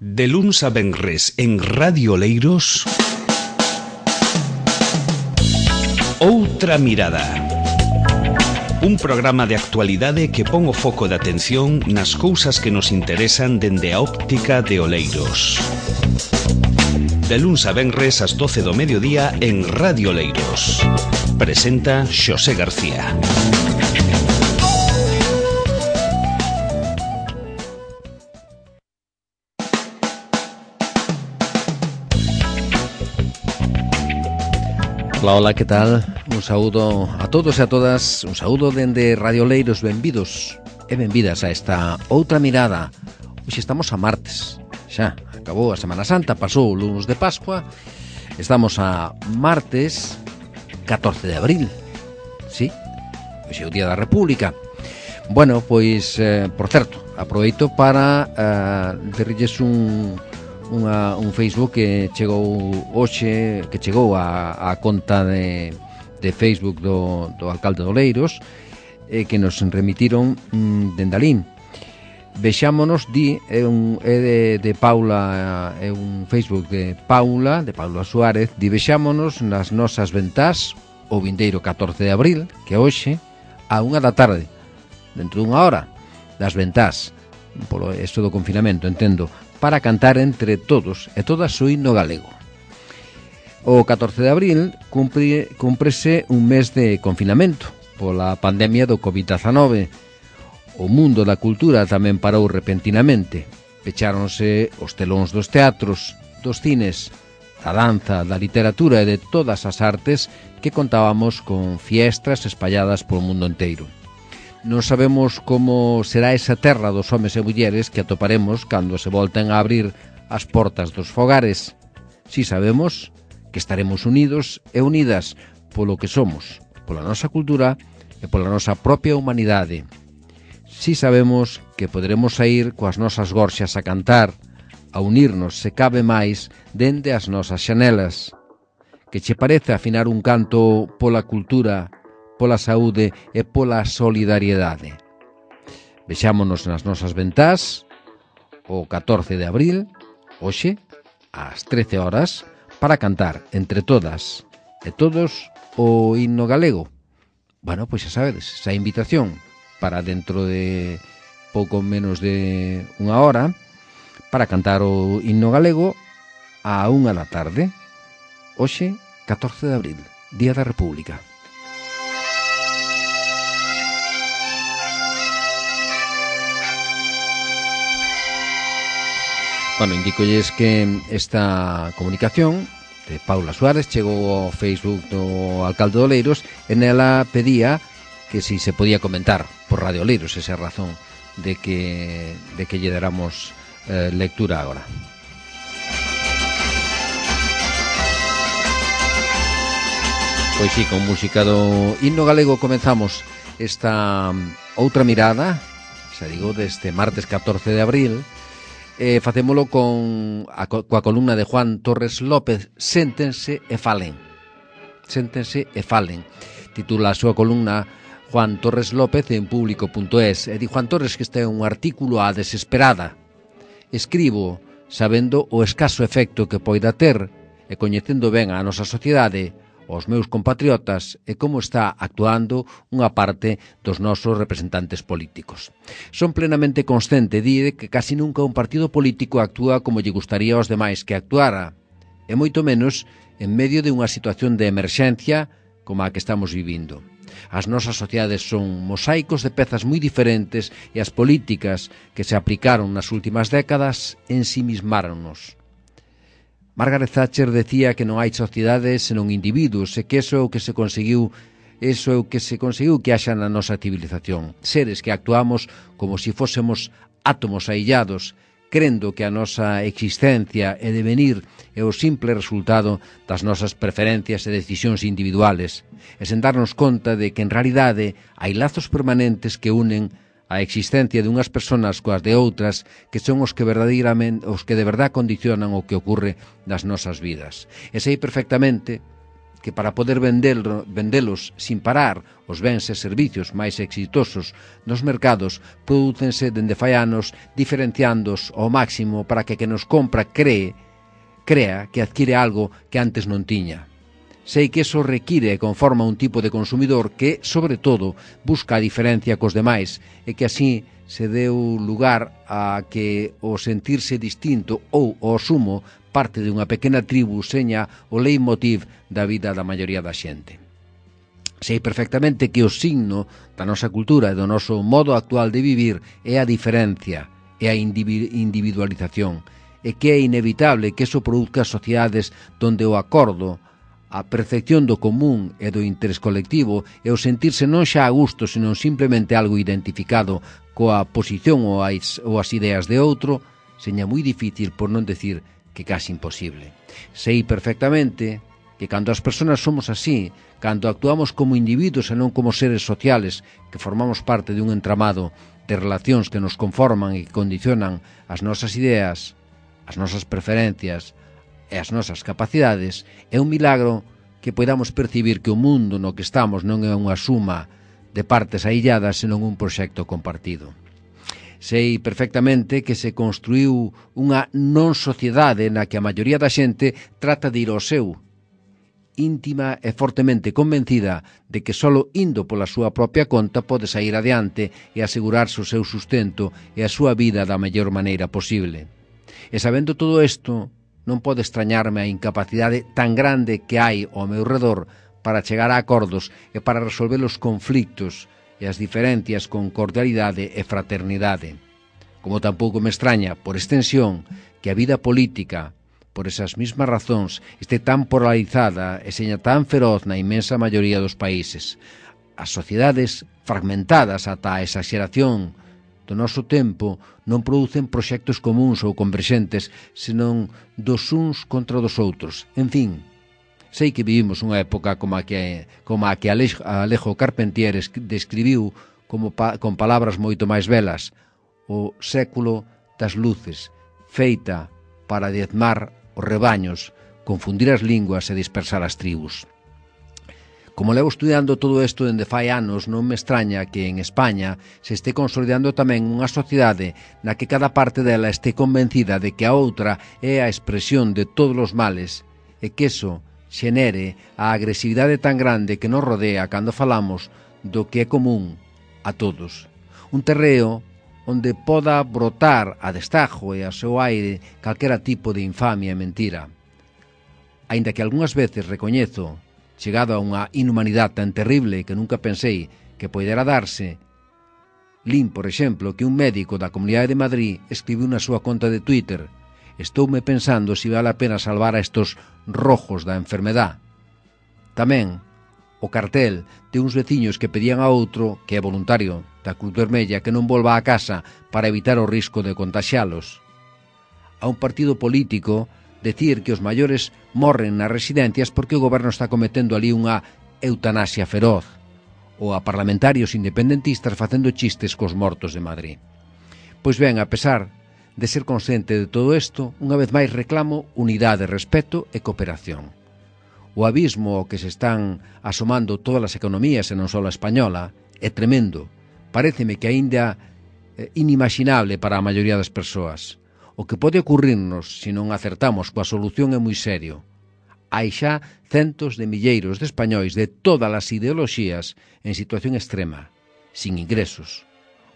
De luns a venres en Radio Oleiros, Outra Mirada. Un programa de actualidade que pon o foco de atención nas cousas que nos interesan dende a óptica de Oleiros. De luns a venres ás 12 do mediodía en Radio Oleiros. Presenta Xosé García. Hola, hola, que tal? Un saúdo a todos e a todas, un saúdo dende Radio Oleiros, benvidos e benvidas a esta Outra Mirada. Hoxe estamos a martes, xa, acabou a Semana Santa, pasou o lunes de Pascua, estamos a martes 14 de abril, sí, hoxe é o Día da República. Bueno, pois, por certo, aproveito para derrilles un Facebook que chegou hoxe, que chegou a conta de Facebook do alcalde de Oleiros, que nos remitiron dende alín. Vexámonos, é de Paula, é un Facebook de Paula Suárez, vexámonos nas nosas ventás o vindeiro 14 de abril, que é hoxe, a 1 da tarde, dentro dunha hora, das ventás, polo isto do confinamento, entendo, para cantar entre todos e todas o himno galego. O 14 de abril cúmprese un mes de confinamento pola pandemia do COVID-19. O mundo da cultura tamén parou repentinamente. Pecháronse os telóns dos teatros, dos cines, da danza, da literatura e de todas as artes que contábamos con fiestras espalladas polo mundo inteiro. Non sabemos como será esa terra dos homes e mulleres que atoparemos cando se volten a abrir as portas dos fogares. Si sabemos que estaremos unidos e unidas polo que somos, pola nosa cultura e pola nosa propia humanidade. Si sabemos que poderemos sair coas nosas gorxas a cantar, a unirnos, se cabe máis, dende as nosas xanelas. Que che parece afinar un canto pola cultura, pola saúde e pola solidariedade. Vexámonos nas nosas ventás o 14 de abril, hoxe, ás 13 horas, para cantar entre todas e todos o himno galego. Bueno, pois xa sabedes, esa invitación para dentro de pouco menos de unha hora para cantar o himno galego a 1 da tarde, hoxe, 14 de abril, Día da República. Bueno, indicolles que esta comunicación de Paula Suárez chegou ao Facebook do alcalde de Oleiros e nela pedía que si se podía comentar por Radio Oleiros, esa razón de que lle déramos lectura agora. Pois sí, con música do himno galego comenzamos esta outra mirada, xa digo, deste martes 14 de abril. Facémolo coa columna de Juan Torres López, Séntense e falen. Séntense e falen. Titula a súa columna Juan Torres López en público.es. E di Juan Torres que este é un artículo á desesperada. Escribo sabendo o escaso efecto que poida ter e coñecendo ben a nosa sociedade, os meus compatriotas e como está actuando unha parte dos nosos representantes políticos. Son plenamente consciente de que casi nunca un partido político actúa como lle gustaría aos demais que actuara, e moito menos en medio de unha situación de emerxencia como a que estamos vivindo. As nosas sociedades son mosaicos de pezas moi diferentes e as políticas que se aplicaron nas últimas décadas ensimismáronnos. Margaret Thatcher decía que non hai sociedades senón individuos e que eso é o que se conseguiu que haxa na nosa civilización. Seres que actuamos como se fósemos átomos aillados, crendo que a nosa existencia e devenir é o simple resultado das nosas preferencias e decisións individuales, e sen darnos conta de que en realidade hai lazos permanentes que unen a existencia dunhas persoas coas de outras que son os que de verdad condicionan o que ocorre nas nosas vidas. E sei perfectamente que para poder vendelos sin parar os bens e servicios máis exitosos nos mercados prodúcense dende fai anos diferenciándos ao máximo para que nos compra crea que adquire algo que antes non tiña. Sei que eso require e conforma un tipo de consumidor que, sobre todo, busca a diferencia cos demais e que así se deu lugar a que o sentirse distinto ou o sumo parte de unha pequena tribu seña o leitmotiv da vida da maioría da xente. Sei perfectamente que o signo da nosa cultura e do noso modo actual de vivir é a diferencia, é a individualización, e que é inevitable que eso produzca sociedades donde o acordo, a percepción do común e do interés colectivo e o sentirse non xa a gusto, senón simplemente algo identificado coa posición ou as ideas de outro, seña moi difícil, por non decir que casi imposible. Sei perfectamente que cando as persoas somos así, cando actuamos como individuos e non como seres sociales, que formamos parte de un entramado de relacións que nos conforman e que condicionan as nosas ideas, as nosas preferencias e as nosas capacidades, é un milagro que podamos percibir que o mundo no que estamos non é unha suma de partes ailladas, senón un proxecto compartido. Sei perfectamente que se construiu unha non sociedade na que a maioría da xente trata de ir ao seu, íntima e fortemente convencida de que solo indo pola súa propia conta pode sair adiante e asegurarse o seu sustento e a súa vida da mellor maneira posible. E sabendo todo isto, non pode extrañarme a incapacidade tan grande que hai ao meu redor para chegar a acordos e para resolver os conflictos e as diferencias con cordialidade e fraternidade. Como tampouco me extraña, por extensión, que a vida política, por esas mismas razóns, este tan polarizada e seña tan feroz na inmensa maioría dos países. As sociedades fragmentadas ata a exageración do noso tempo non producen proxectos comuns ou converxentes, senón dos uns contra dos outros. En fin, sei que vivimos unha época como a que Alejo Carpentier describiu con palabras moito máis belas, o século das luces, feita para diezmar os rebaños, confundir as linguas e dispersar as tribus. Como levo estudiando todo isto dende fai anos, non me extraña que en España se este consolidando tamén unha sociedade na que cada parte dela este convencida de que a outra é a expresión de todos os males e que eso xenere a agresividade tan grande que nos rodea cando falamos do que é común a todos. Un terreo onde poda brotar a destajo e a seu aire calquera tipo de infamia e mentira. Aínda que algunhas veces recoñezo, chegado a unha inhumanidade tan terrible que nunca pensei que poidera darse, lín, por exemplo, que un médico da Comunidade de Madrid escribiu na súa conta de Twitter: "Estoume pensando se vale a pena salvar a estos rojos da enfermedad". Tamén o cartel de uns veciños que pedían a outro, que é voluntario da Cruz Vermella, que non volva a casa para evitar o risco de contaxialos. A un partido político decir que os maiores morren nas residencias porque o goberno está cometendo ali unha eutanasia feroz, ou a parlamentarios independentistas facendo chistes cos mortos de Madrid. Pois ben, a pesar de ser consciente de todo isto, unha vez máis reclamo unidade, respeto e cooperación. O abismo ao que se están asomando todas as economías e non só a española é tremendo. Paréceme que aínda inimaginable para a maioría das persoas. O que pode ocurrirnos se non acertamos coa solución é moi serio. Hai xa centos de milleiros de españois de todas as ideoloxías en situación extrema, sin ingresos.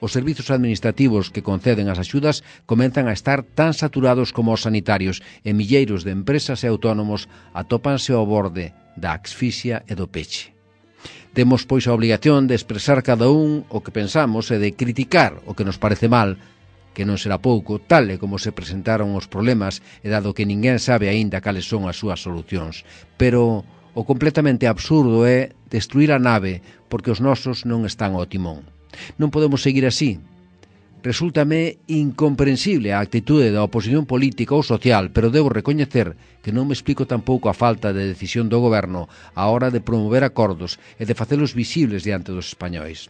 Os servizos administrativos que conceden as axudas comenzan a estar tan saturados como os sanitarios e milleiros de empresas e autónomos atópanse ao borde da asfixia e do peche. Temos, pois, a obligación de expresar cada un o que pensamos e de criticar o que nos parece mal, que non será pouco, tal e como se presentaron os problemas e dado que ninguén sabe aínda cales son as súas solucións. Pero o completamente absurdo é destruir a nave porque os nosos non están ao timón. Non podemos seguir así. Resúltame incomprensible a actitude da oposición política ou social, pero debo recoñecer que non me explico tampouco a falta de decisión do goberno á hora de promover acordos e de facelos visibles diante dos españois.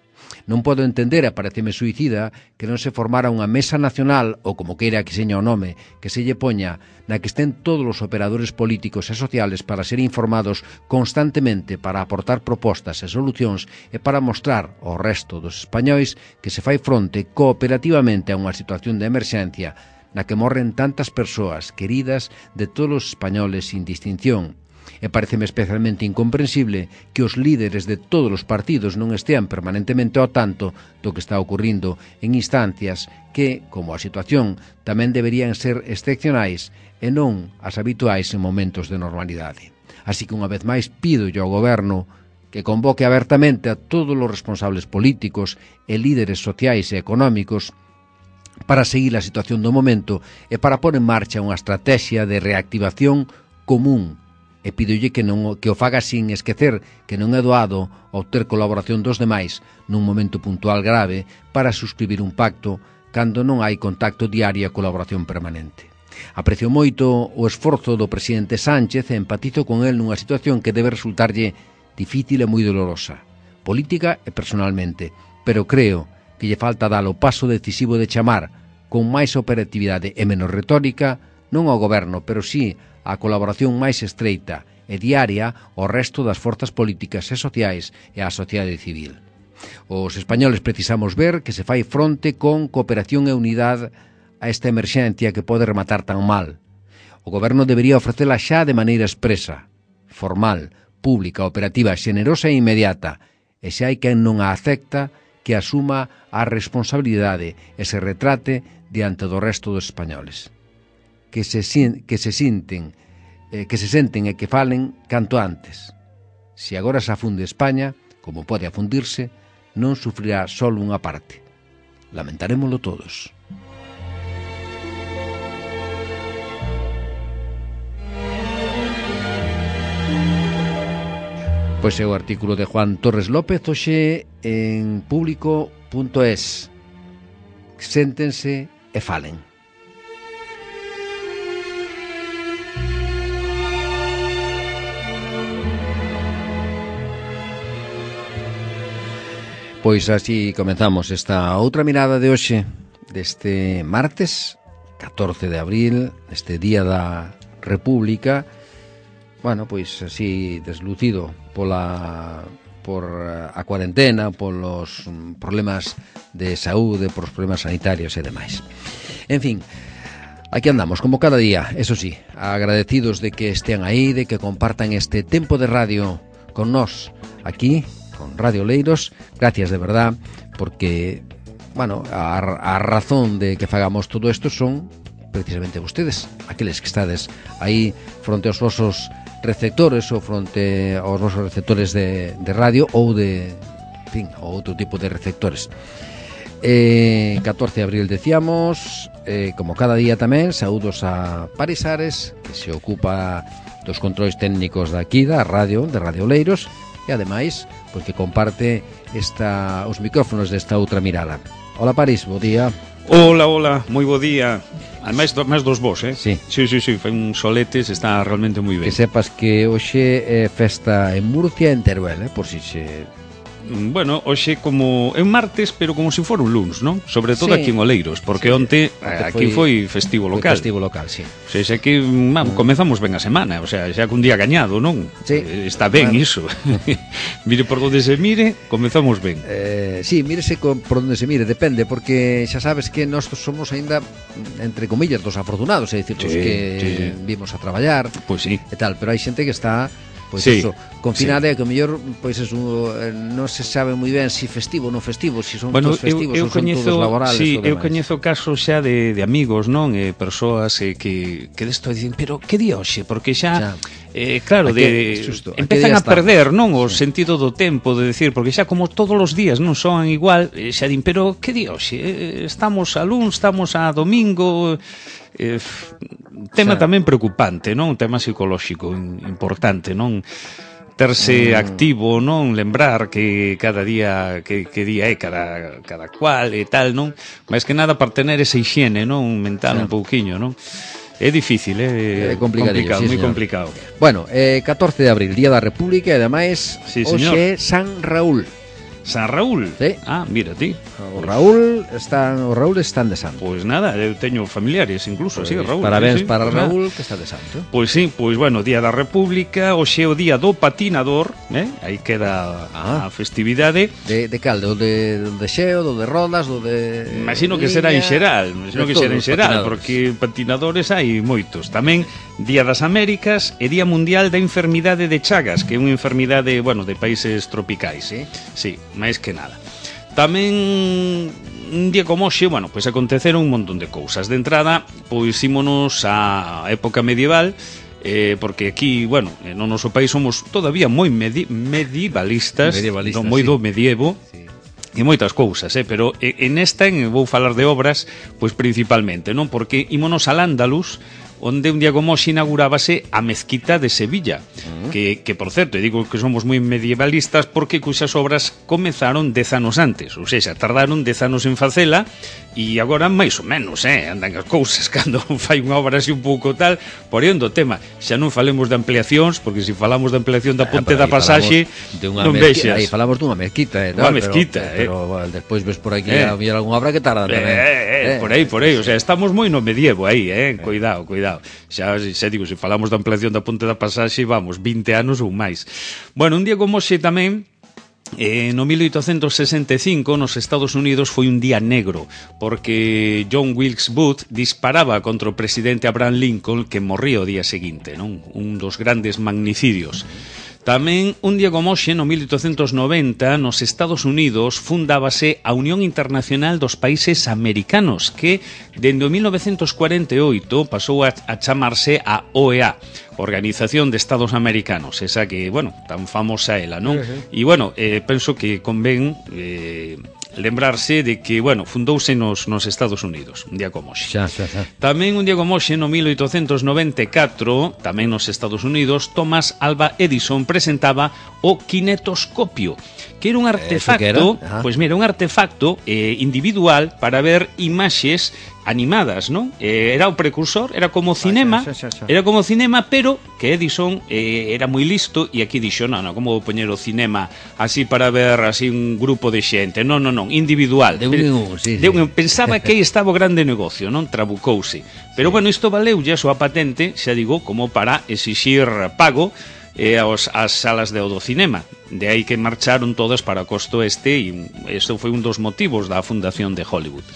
Non podo entender, e pareceme suicida, que non se formara unha mesa nacional, ou como queira que seña o nome, que se lle poña, na que estén todos os operadores políticos e sociales para ser informados constantemente, para aportar propostas e solucións e para mostrar ao resto dos españois que se fai fronte cooperativamente a unha situación de emerxencia na que morren tantas persoas queridas de todos os españoles sin distinción. E pareceme especialmente incomprensible que os líderes de todos os partidos non estean permanentemente ao tanto do que está ocurrindo en instancias que, como a situación, tamén deberían ser excepcionais e non as habituais en momentos de normalidade. Así que unha vez máis pido ao Goberno que convoque abertamente a todos os responsables políticos e líderes sociais e económicos para seguir a situación do momento e para pôr en marcha unha estrategia de reactivación común. E pídolle que o faga sin esquecer que non é doado obter colaboración dos demais nun momento puntual grave para suscribir un pacto cando non hai contacto diario e colaboración permanente. Aprecio moito o esforzo do presidente Sánchez e empatizo con el nunha situación que debe resultarlle difícil e moi dolorosa, política e personalmente, pero creo que lle falta dar o paso decisivo de chamar con máis operatividade e menos retórica non ao goberno, pero sí a colaboración máis estreita e diaria ao resto das forzas políticas e sociais e á sociedade civil. Os españoles precisamos ver que se fai fronte con cooperación e unidade a esta emerxencia que pode rematar tan mal. O goberno debería ofrecela xa de maneira expresa, formal, pública, operativa, xenerosa e inmediata, e se hai quen non a acepta, que asuma a responsabilidade e se retrate diante do resto dos españoles. Que se senten e que falen canto antes. Se agora se afunde España, como pode afundirse, non sufrirá só unha parte. Lamentarémolo todos. Pois é o artículo de Juan Torres López hoxe en público.es. Séntense e falen. Pois así comenzamos esta outra mirada de hoxe, deste martes 14 de abril, este Día da República. Bueno, pois así deslucido por a cuarentena, polos problemas de saúde, por os problemas sanitarios e demais. En fin, aquí andamos, como cada día, eso sí, agradecidos de que estean aí, de que compartan este tempo de radio con nós, aquí, con Radio Oleiros. Gracias de verdad, porque, bueno, a razón de que fagamos todo isto son precisamente vostedes, aqueles que estades aí fronte aos vosos receptores ou fronte aos vosos receptores de radio ou de, en fin, outro tipo de receptores. 14 de abril decíamos, como cada día tamén, saúdos a Paris Ares, que se ocupa dos controis técnicos daqui da radio, de Radio Oleiros, e ademais, porque comparte os micrófonos desta outra mirada. Hola Paris, bo día. Hola, moi bo día. Ademais, máis dos vos, Sí. Sí, fai un soletes, está realmente moi ben. Que sepas que hoxe é festa en Murcia e en Teruel, por si se... Bueno, hoxe como é un martes, pero como se for un luns, non? Sobre todo sí, aquí en Oleiros, porque onte aquí foi festivo local. Foi festivo local, sí. O sea, que comezamos ben a semana, o sea, xa cun día gañado, non? Sí. Está ben iso. Mire por onde se mire, comezamos ben. Sí, mírese por onde se mire, depende, porque xa sabes que nós somos aínda, entre comillas, dos afortunados, é dicir, os que vimos a traballar, pois sí, e tal, pero hai xente que está... Pois sí, eso, confinada, que o mellor pois eso, non se sabe moi ben si festivo ou non festivo, si son todos festivos ou son todos laborales. Sí, eu coñezo casos xa de amigos, non? Persoas que desto dicen, pero que día hoxe? Porque xa claro, empezan a perder, non, o sentido do tempo, de decir, porque xa como todos os días non son igual, xa din, pero que día hoxe? Estamos a luns, estamos a domingo. Tema tamén preocupante, non? Un tema psicolóxico importante, non? Terse activo, non? Lembrar que cada día que día é cada cual e tal, non? Mais que nada para tener esa hixiene, non? Mental un pouquiño, non? É difícil, é complicado, moi complicado. Bueno, 14 de abril, Día da República, e ademais hoxe é San Raúl. San Raúl? Sí. Ah, mira ti. O Raúl están de santo. Pois nada, eu teño familiares incluso, así, Raúl. Parabéns sí, para pues Raúl, nada. que está de santo. Pois sí, pois bueno, Día da República, hoxe é o Día do Patinador, aí queda a festividade. De cal? Do de xeo, do de rodas, do de... Imagino que será en xeral, porque patinadores hai moitos. Tamén Día das Américas e Día Mundial da Enfermidade de Chagas, que é unha enfermidade, bueno, de países tropicais. Sí, máis que nada. Tamén un día como hoxe, bueno, pois aconteceron un montón de cousas. De entrada, pois ímonos á época medieval, porque aquí, bueno, no noso país somos todavía moi medievalistas, moi do medievo. Sí. E moitas cousas, pero en esta vou falar de obras, pois principalmente, non? Porque ímonos al Andalus, onde un día como hoxe inaugurábase a mezquita de Sevilla, que por certo, digo que somos moi medievalistas porque cuxas obras comenzaron 10 anos antes, ou seja, tardaron 10 anos en facela, e agora máis ou menos, andan as cousas cando fai unha obra así un pouco tal, por aí o tema. Xa non falemos de ampliacións, porque se falamos de ampliación da Ponte da Pasaxe, non vexas. Aí falamos dunha mezquita, unha mezquita, pero bueno, despois ves por aquí a mirar algunha obra que tarda tamén. Por aí, o sea, estamos moi no medievo aí, cuidado. Xa digo, se falamos da ampliación da Ponte da Pasaxe, vamos, 20 anos ou máis. Bueno, un día como hoxe tamén, no 1865 nos Estados Unidos foi un día negro porque John Wilkes Booth disparaba contra o presidente Abraham Lincoln, que morría o día seguinte, non? Un dos grandes magnicidios. Tamén un día como hoxe, no 1890, nos Estados Unidos fundábase a Unión Internacional dos Países Americanos, que dende o 1948 pasou a chamarse a OEA, Organización de Estados Americanos, esa que, bueno, tan famosa ela, non? E, bueno, penso que convén lembrarse de que, bueno, fundouse nos Estados Unidos, un día como hoxe. Xa. Tamén un día como hoxe, no 1894, tamén nos Estados Unidos, Thomas Alva Edison presentaba o kinetoscopio, que era un artefacto, pois mira, un artefacto individual para ver imaxes animadas, non? Era o precursor, era como cinema, pero que Edison era moi listo e aquí dixo, non, como vou poñer o cinema así para ver así un grupo de xente, non, individual. Pensaba que aí estaba o grande negocio, non? Trabucouse. Pero bueno, isto valeulle a súa patente, xa digo, como para exixir pago ás salas do cinema. De aí que marcharon todas para costo e isto foi un dos motivos da fundación de Hollywood.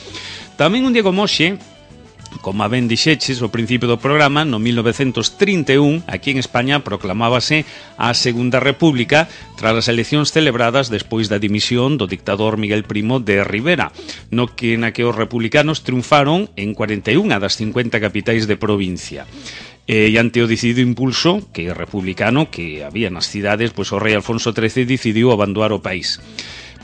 Tamén un día como hoxe, como ben dixeches ao principio do programa, no 1931, aquí en España proclamábase a Segunda República tras as eleccións celebradas despois da dimisión do dictador Miguel Primo de Rivera, na que os republicanos triunfaron en 41 das 50 capitais de provincia. E ante o decidido impulso que republicano que había nas cidades, pois o rei Alfonso XIII decidiu abandonar o país.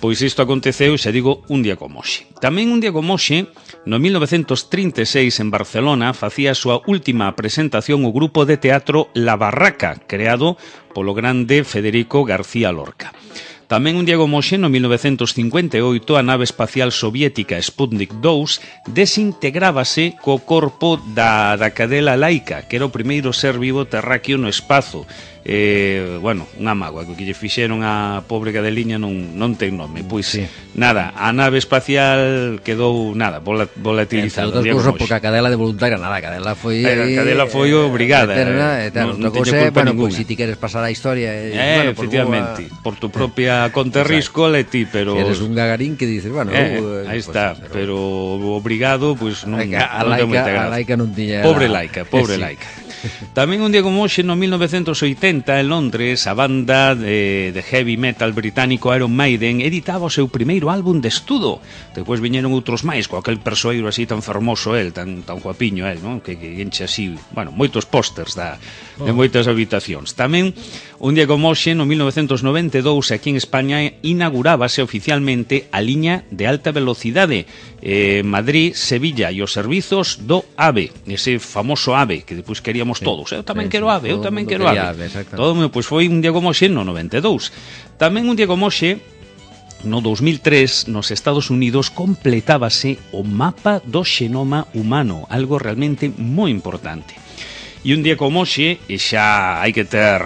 Pois isto aconteceu, xa digo, un día como hoxe. Tamén un día como hoxe, no 1936 en Barcelona, facía a súa última presentación o grupo de teatro La Barraca, creado polo grande Federico García Lorca. Tamén un día como hoxe, no 1958, a nave espacial soviética Sputnik 2 desintegrábase co corpo da cadela Laika, que era o primeiro ser vivo terráqueo no espazo. Bueno, unha mágoa que lle fixeron a pobre cadeliña non ten nome. Pois nada, a nave espacial quedou volatilizada. Entre outras cousas, porque a cadela de voluntaria nada, a cadela foi obrigada. Outra cousa, bueno, pois se ti queres pasar a historia, efectivamente, por tu propia conta risco, leti, pero eres un Gagarín que dices, bueno, aí está, pero obrigado, pois non ten moita gracia. A Laika non tiña. Pobre Laika. Tamén un día como hoxe, no 1980, en Londres, a banda de heavy metal británico Iron Maiden editaba o seu primeiro álbum de estudo. Depois viñeron outros máis, co aquel persoeiro así tan fermoso tan guapiño non? Que enche así, bueno, moitos pósters de moitas habitacións. Tamén un día como hoxe, no 1992, aquí en España inaugurábase oficialmente a liña de alta velocidade Madrid-Sevilla e os servizos do AVE, ese famoso AVE que depois queríamos todos. Eu tamén quero AVE. Todo, pois foi un día como hoxe no 92. Tamén un día como hoxe, no 2003, nos Estados Unidos completábase o mapa do xenoma humano, algo realmente moi importante. E un día como hoxe, e xa hai que ter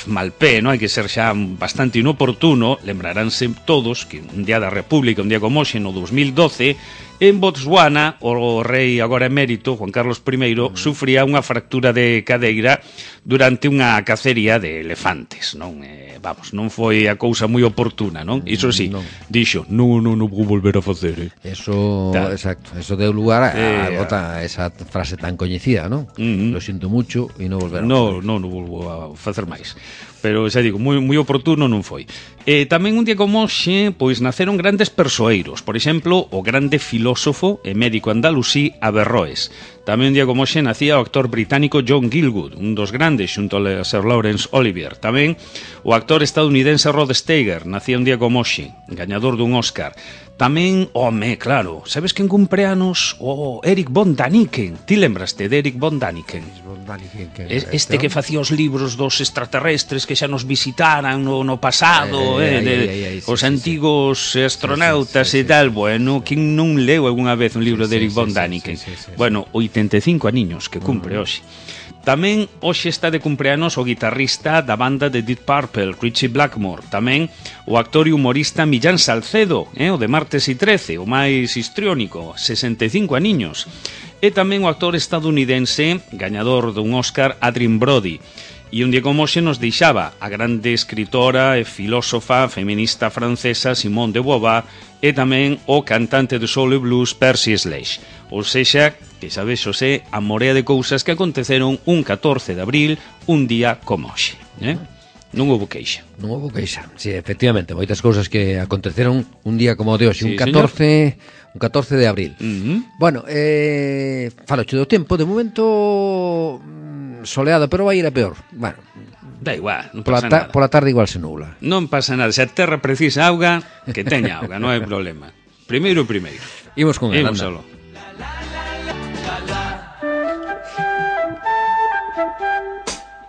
mal pé, non? Hai que ser xa bastante inoportuno. Lembraránse todos que un día da República, un día como hoxe, no 2012, en Botswana, o rei agora emérito, Juan Carlos I, sufría unha fractura de cadeira durante unha cacería de elefantes, non? Vamos, non foi a cousa moi oportuna, non? Iso sí, dixo, non vou volver a facer, Eso, exacto, eso deu lugar a esa frase tan coñecida, non? Lo siento mucho e non volver a facer. Non volvo a facer máis. Pero, xa digo, moi oportuno non foi. Tamén un día como hoxe, pois naceron grandes persoeiros. Por exemplo, o grande filósofo e médico andalusí Averroes. Tamén un día como hoxe nacía o actor británico John Gielgud, un dos grandes xunto a Sir Laurence Olivier. Tamén o actor estadounidense Rod Steiger nacía un día como hoxe, gañador dun Oscar. Tamén, claro, sabes quen cumpre anos? O Eric von Daniken. Ti lembraste de Eric von Daniken? Este que facía os libros dos extraterrestres que xa nos visitaran no pasado, os antigos astronautas e tal. Bueno, quen non leu algunha vez un libro de Eric von Daniken? Bueno, 85 aniños que cumpre hoxe. Tamén hoxe está de cumpleanos o guitarrista da banda de Deep Purple, Ritchie Blackmore. Tamén o actor e humorista Millán Salcedo, o de Martes y 13, o máis histriónico, 65 aniños. E tamén o actor estadounidense, gañador dun Oscar, Adrien Brody. E un día como hoxe nos deixaba a grande escritora e filósofa feminista francesa Simone de Beauvoir e tamén o cantante de soul e blues Percy Sledge. Ou sexa, que sabes, Xosé, a morea de cousas que aconteceron un 14 de abril, un día como hoxe. Non houbo queixa. Non houbo queixa, sí, efectivamente, moitas cousas que aconteceron un día como o de hoxe, un 14 de abril. Bueno, faloche do tempo, de momento soleado, pero vai ir a peor. Bueno, da igual, non pasa nada. Pola tarde igual se nubla. Non pasa nada, se a terra precisa auga, que teña auga, non hai problema. Primeiro. Imos con el, anda.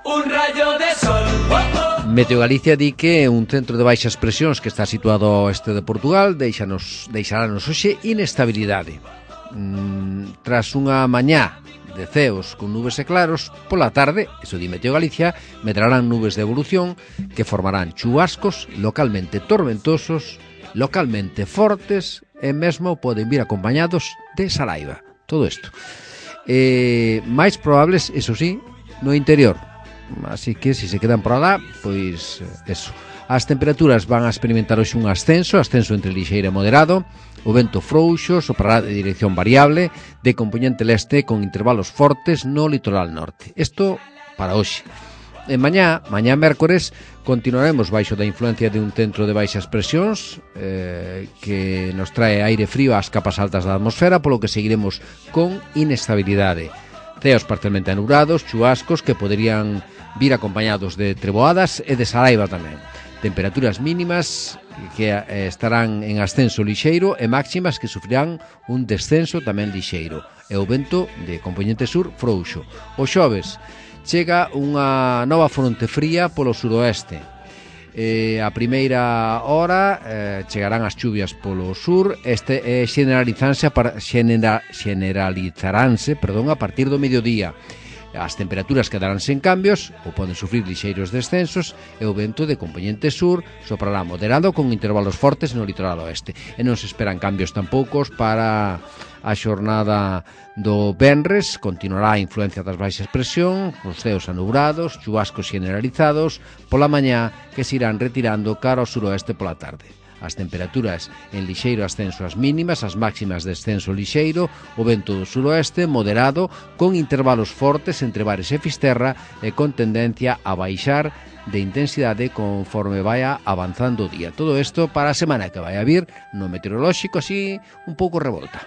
Un rayo de sol. Meteo Galicia di que un centro de baixas presións que está situado ao oeste de Portugal deixarános hoxe inestabilidade. Tras unha mañá de ceos con nubes e claros, pola tarde, eso di Meteo Galicia, medrarán nubes de evolución que formarán chubascos localmente tormentosos, localmente fortes e mesmo poden vir acompañados de saraiva. Todo isto. Mais probables, eso sí, no interior. Así que, se quedan por alá, pois eso. As temperaturas van a experimentar hoxe un ascenso entre lixeiro e moderado. O vento frouxo soprará de dirección variable, de compoñente leste con intervalos fortes no litoral norte. Isto para hoxe. E mañá mércores, continuaremos baixo da influencia de un centro de baixas presións que nos trae aire frío ás capas altas da atmosfera, polo que seguiremos con inestabilidade. Ceos parcialmente anubrados, chubascos que poderían vir acompañados de treboadas e de saraiva tamén. Temperaturas mínimas que estarán en ascenso lixeiro e máximas que sufrirán un descenso tamén lixeiro. E o vento de compoñente sur frouxo. O xoves chega unha nova fronte fría polo suroeste. A primeira hora chegarán as chuvias polo sur, generalizaránse a partir do mediodía. As temperaturas quedaránse en cambios ou poden sufrir lixeiros descensos e o vento de compoñente sur soprará moderado con intervalos fortes no litoral oeste. E non se esperan cambios tampoucos para a xornada do venres. Continuará a influencia das baixas presión, os ceos anubrados, chubascos generalizados pola mañá que se irán retirando cara ao suroeste pola tarde. As temperaturas en lixeiro ascenso as mínimas, as máximas descenso lixeiro, o vento do suroeste moderado con intervalos fortes entre Bares e Fisterra e con tendencia a baixar de intensidade conforme vaya avanzando o día. Todo isto para a semana que vai a vir no meteorolóxico, así un pouco revolta.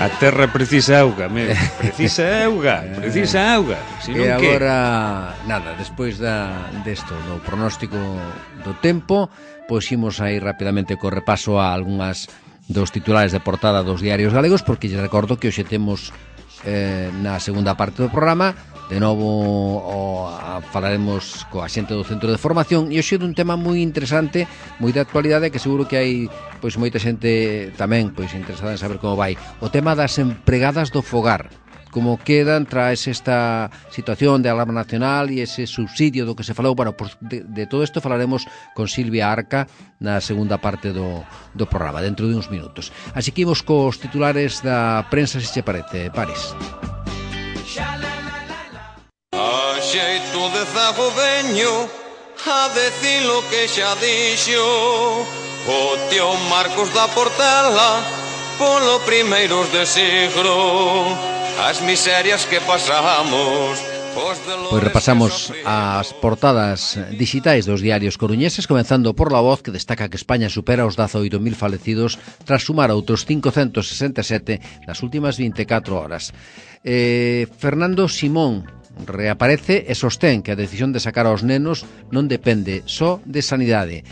A terra precisa auga, precisa auga. E agora, nada, despois desto, do pronóstico do tempo, pois imos a ir rapidamente co repaso a algunhas dos titulares de portada dos diarios galegos, porque lle recordo que hoxe temos na segunda parte do programa De novo falaremos coa xente do Centro de Formación e hoxe dun tema moi interesante, moi de actualidade, que seguro que hai pois moita xente tamén pois interesada en saber como vai. O tema das empregadas do fogar, como quedan tras esta situación de alarma nacional e ese subsidio do que se falou. Bueno, pues de todo isto falaremos con Silvia Arca na segunda parte do programa, dentro de uns minutos. Así que imos cos titulares da prensa, se che parece, Paris. A xeito de zago veño a decir lo que xa dixo o tío Marcos da Portela polo primeiros de siglo. As miserias que pasamos. Pois repasamos as portadas digitais dos diarios coruñeses, comenzando por La Voz, que destaca que España supera os 18.000 falecidos tras sumar outros 567 nas últimas 24 horas. Fernando Simón reaparece e sostén que a decisión de sacar aos nenos non depende só de sanidade.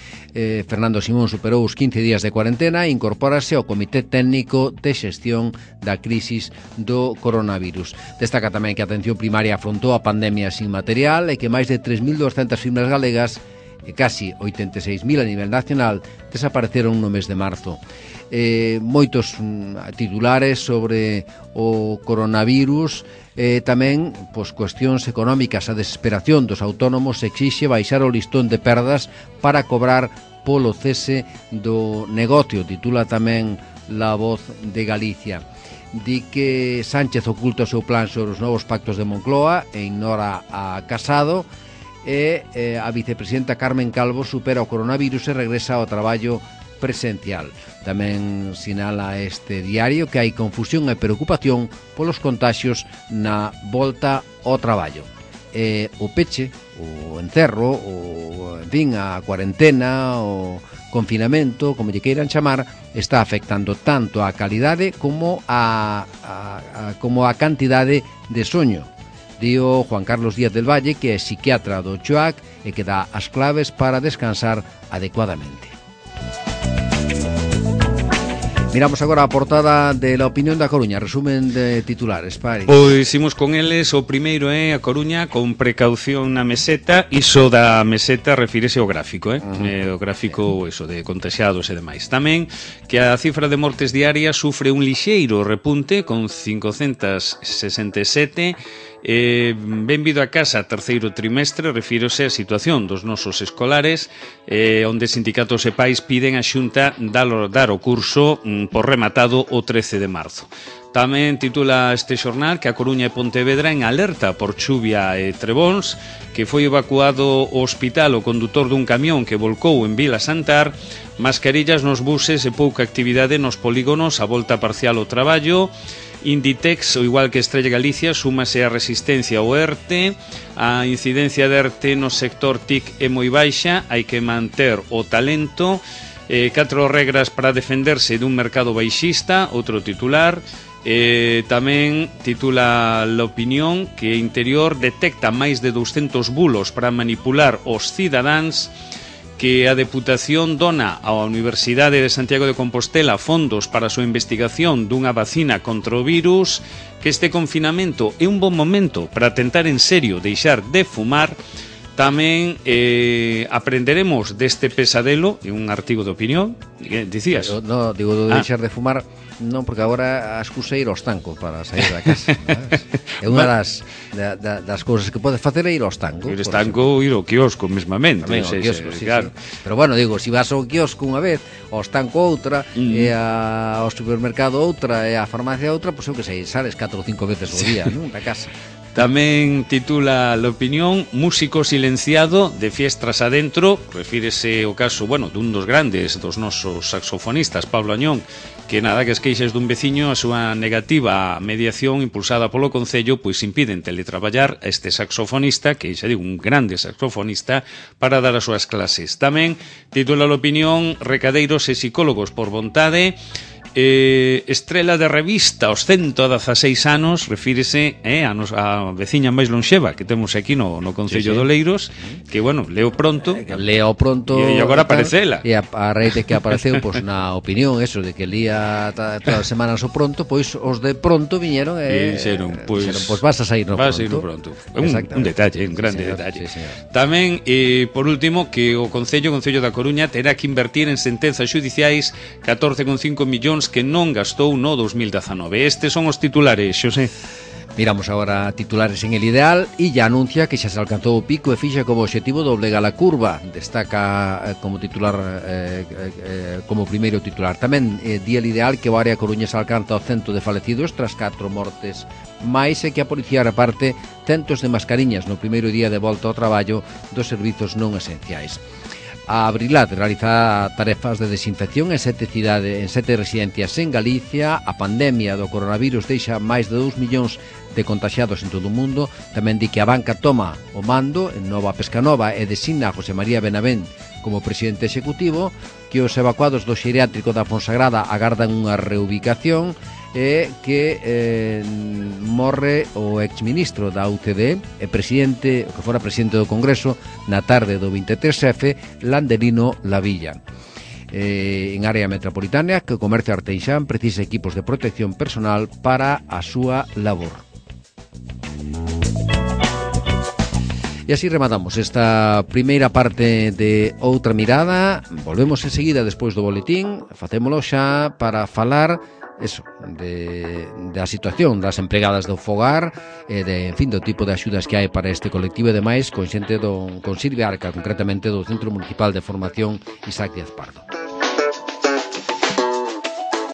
Fernando Simón superou os 15 días de cuarentena e incorpórase ao Comité Técnico de Xestión da Crisis do Coronavirus. Destaca tamén que a atención primaria afrontou a pandemia sin material e que máis de 3.200 firmas galegas e casi 86.000 a nivel nacional desapareceron no mes de marzo. Moitos titulares sobre o coronavirus, tamén pois, cuestións económicas. A desesperación dos autónomos exixe baixar o listón de perdas para cobrar polo cese do negocio, titula tamén La Voz de Galicia. Di que Sánchez oculta o seu plan sobre os novos pactos de Moncloa e ignora a Casado, e a vicepresidenta Carmen Calvo supera o coronavirus e regresa ao traballo presencial. Tamén sinala este diario que hai confusión e preocupación polos contaxios na volta ao traballo. O peche, o encerro, en fin, a cuarentena, o confinamento, como lle queiran chamar, está afectando tanto a calidade como a cantidade de soño. Dío Juan Carlos Díaz del Valle, que é psiquiatra do CHUAC e que dá as claves para descansar adecuadamente. Miramos agora a portada de La Opinión da Coruña, resumen de titulares, Paris. Pois imos con eles, o primeiro é a Coruña con precaución na meseta. Iso da meseta refírese ao gráfico, o gráfico eso, de contaxiados e demais. Tamén que a cifra de mortes diarias sufre un lixeiro repunte con 567. Benvido a casa, terceiro trimestre, refírose a situación dos nosos escolares, onde sindicatos e pais piden a Xunta dar o curso por rematado o 13 de marzo. Tamén titula este xornal que a Coruña e Pontevedra en alerta por chuvia e trebóns, que foi evacuado ao hospital o condutor dun camión que volcou en Vila Santar, mascarillas nos buses e pouca actividade nos polígonos, a volta parcial ao traballo. Inditex, o igual que Estrella Galicia, súmase a resistencia ao ERTE. A incidencia de ERTE no sector TIC é moi baixa, hai que manter o talento. 4 regras para defenderse dun mercado baixista, outro titular. Tamén titula La Opinión que Interior detecta máis de 200 bulos para manipular os cidadáns, que a Deputación dona á Universidade de Santiago de Compostela fondos para a súa investigación dunha vacina contra o virus, que este confinamento é un bon momento para tentar en serio deixar de fumar. Tamén aprenderemos deste pesadelo, en un artigo de Opinión. Dicías? Pero, no, digo, de deixar de fumar, non, porque agora a excusa é ir aos tancos para sair da casa. É unha das cousas que podes facer é ir aos tancos. Ir aos tancos, ir ao quiosco mesmamente. Tamén ao quiosco, sí, claro. Sí. Pero bueno, digo, se vas ao quiosco unha vez, aos tancos outra, e ao supermercado outra, e á farmacia outra, pois eu que sei, sales 4 ou 5 veces ao día, non, da casa. Tamén titula La Opinión, músico silenciado de fiestras adentro, refírese ao caso, dun dos grandes dos nosos saxofonistas, Pablo Añón, que nada, que as queixas dun veciño, a súa negativa a mediación impulsada polo Concello, pois impiden teletraballar a este saxofonista, que xa digo, un grande saxofonista, para dar as súas clases. Tamén titula La Opinión, recadeiros e psicólogos por vontade. estrela de revista aos 116 anos, refírese a veciña máis lonxeva que temos aquí no Concello de Oleiros, que, bueno, leo pronto e agora aparece ela. E a raíz de que apareceu, pois, na opinión, eso, de que lía todas as semanas o pronto, pois os de pronto viñeron e dixeron, pois vas a sair no pronto. Un detalle, un grande detalle. Tamén, por último, que o Concello da Coruña terá que invertir en sentenzas xudiciais 14,5 millóns que non gastou no 2019. Estes son os titulares, Xosé. Miramos agora titulares en El Ideal e ya anuncia que xa se alcanzou o pico e fixa como objetivo doblegar a curva. Destaca como titular como primeiro titular. Tamén di El Ideal que o área Coruña se alcanza o 100 de falecidos tras 4 mortes máis e que a policía reparte centos de mascariñas no primeiro día de volta ao traballo dos servizos non esenciais. A Abrilat realiza tarefas de desinfección en 7 residencias en Galicia. A pandemia do coronavirus deixa máis de 2 millóns de contagiados en todo o mundo. Tamén di que a banca toma o mando en Nova Pescanova e designa a José María Benavent como presidente executivo, que os evacuados do xeriátrico da Fonsagrada agardan unha reubicación e que morre o exministro da UCD e presidente, que fora presidente do Congreso na tarde do 23F, Landelino Lavilla. En área metropolitana, que o comercio arteixán precisa equipos de protección personal para a súa labor. E así rematamos esta primeira parte de Outra Mirada. Volvemos enseguida despois do boletín. Facémolo xa para falar eso, da situación das empregadas do fogar e en fin, do tipo de axudas que hai para este colectivo e demais, con xente con Silvia Arca, concretamente do Centro Municipal de Formación Isaac Díaz Pardo.